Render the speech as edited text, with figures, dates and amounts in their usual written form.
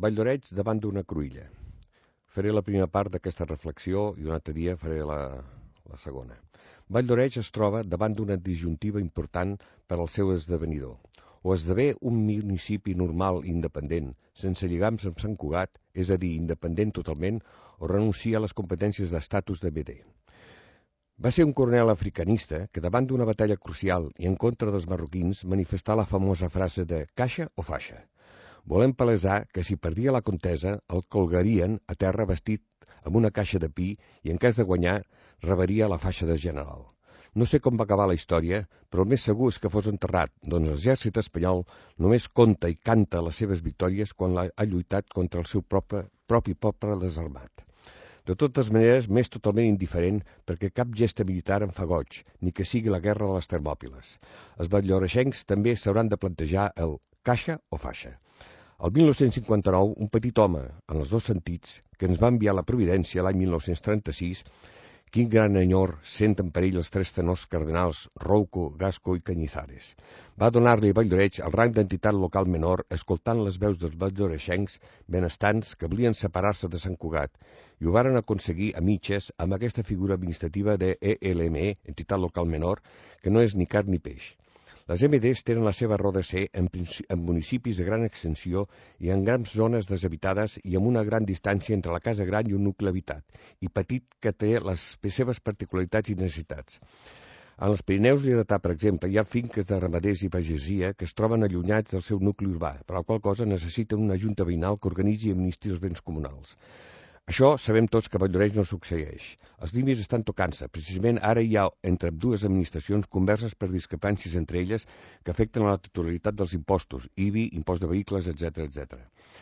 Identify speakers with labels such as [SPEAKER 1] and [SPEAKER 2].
[SPEAKER 1] Valldoreix davant d'una cruïlla. Faré la primera part d'aquesta reflexió i un altre dia faré la segona. Valldoreix es troba davant d'una disjuntiva important per al seu esdevenidor. O esdevé un municipi normal i independent, sense lligams amb Sant Cugat, és a dir, independent totalment, o renuncia a les competències d'estatus de BD. Va ser un coronel africanista que davant d'una batalla crucial i en contra dels marroquins manifestà la famosa frase de «caixa o faixa». Volem palesar que si perdia la contesa el colgarien a terra vestit amb una caixa de pi i en cas de guanyar rebaria la faixa de general. No sé com va acabar la història, però el més segur és que fos enterrat, doncs l'exèrcit espanyol només conta i canta les seves victòries quan ha lluitat contra el seu propi poble desarmat. De totes maneres, m'és totalment indiferent perquè cap gesta militar em fa goig, ni que sigui la guerra de les Termòpiles. Els valldoreixencs també s'hauran de plantejar el caixa o faixa. El 1959, un petit home, en els dos sentits, que ens va enviar la Providència l'any 1936, quin gran enyor senten per ell els tres tenors cardenals Rouco, Gasco i Cañizares. Va donar-li a Valldoreix el rang d'entitat local menor escoltant les veus dels valldoreixencs benestants que volien separar-se de Sant Cugat i ho varen aconseguir a mitges amb aquesta figura administrativa de ELME, entitat local menor, que no és ni carn ni peix. Les MDs tenen la seva raó de ser en municipis de gran extensió i en grans zones deshabitades i amb una gran distància entre la casa gran i un nucli habitat, i petit que té les seves particularitats i necessitats. En els Pirineus Lleidatà, per exemple, hi ha finques de ramaders i pagesia que es troben allunyats del seu nucli urbà, per la qual cosa necessiten una junta veïnal que organitzi i administri els béns comunals. Això sabem tots que a Valldoreix no succeeix. Els límits estan tocant-se. Precisament ara hi ha entre dues administracions converses per discrepàncies entre elles que afecten a la titularitat dels impostos, IBI, impost de vehicles, etc.